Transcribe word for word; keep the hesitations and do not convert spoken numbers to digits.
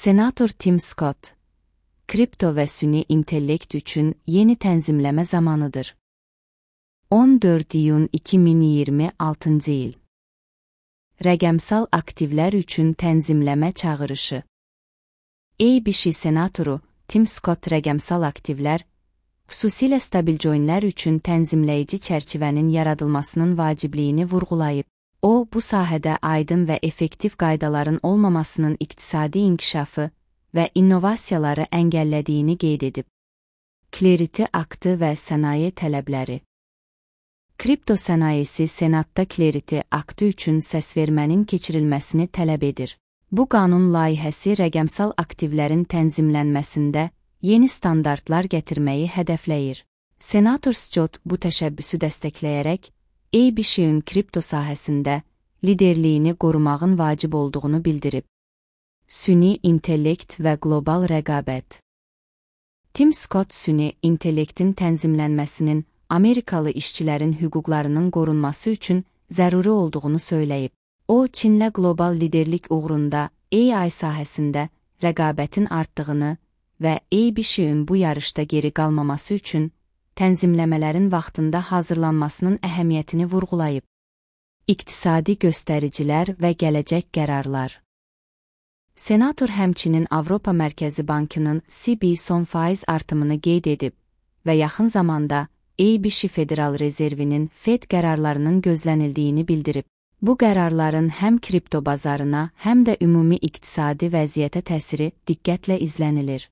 Senator Tim Scott, kripto və süni intellekt üçün yeni tənzimləmə zamanıdır. on dörd iyun iki min iyirmi altıncı il. Rəqəmsal aktivlər üçün tənzimləmə çağırışı. A B C senatoru Tim Scott rəqəmsal aktivlər, xüsusilə stabil coinlər üçün tənzimləyici çərçivənin yaradılmasının vacibliyini vurğulayıb. O, bu sahədə aydın və effektiv qaydaların olmamasının iqtisadi inkişafı və innovasiyaları əngəllədiyini qeyd edib. Clarity aktı və sənaye tələbləri. Kripto sənayesi Senatda Clarity aktı üçün səsvermənin keçirilməsini tələb edir. Bu qanun layihəsi rəqəmsal aktivlərin tənzimlənməsində yeni standartlar gətirməyi hədəfləyir. Senator Scott bu təşəbbüsü dəstəkləyərək, A B C-ün kripto sahəsində liderliyini qorumağın vacib olduğunu bildirib. Süni intellekt və qlobal rəqabət. Tim Scott süni intellektin tənzimlənməsinin Amerikalı işçilərin hüquqlarının qorunması üçün zəruri olduğunu söyləyib. O, Çinlə qlobal liderlik uğrunda A I sahəsində rəqabətin artdığını və A B C-ün bu yarışda geri qalmaması üçün tənzimləmələrin vaxtında hazırlanmasının əhəmiyyətini vurğulayıb. İqtisadi göstəricilər və gələcək qərarlar. Senator həmçinin Avropa Mərkəzi Bankının C B son faiz artımını qeyd edib və yaxın zamanda A B C Federal Rezervinin Fed qərarlarının gözlənildiyini bildirib. Bu qərarların həm kripto bazarına, həm də ümumi iqtisadi vəziyyətə təsiri diqqətlə izlənilir.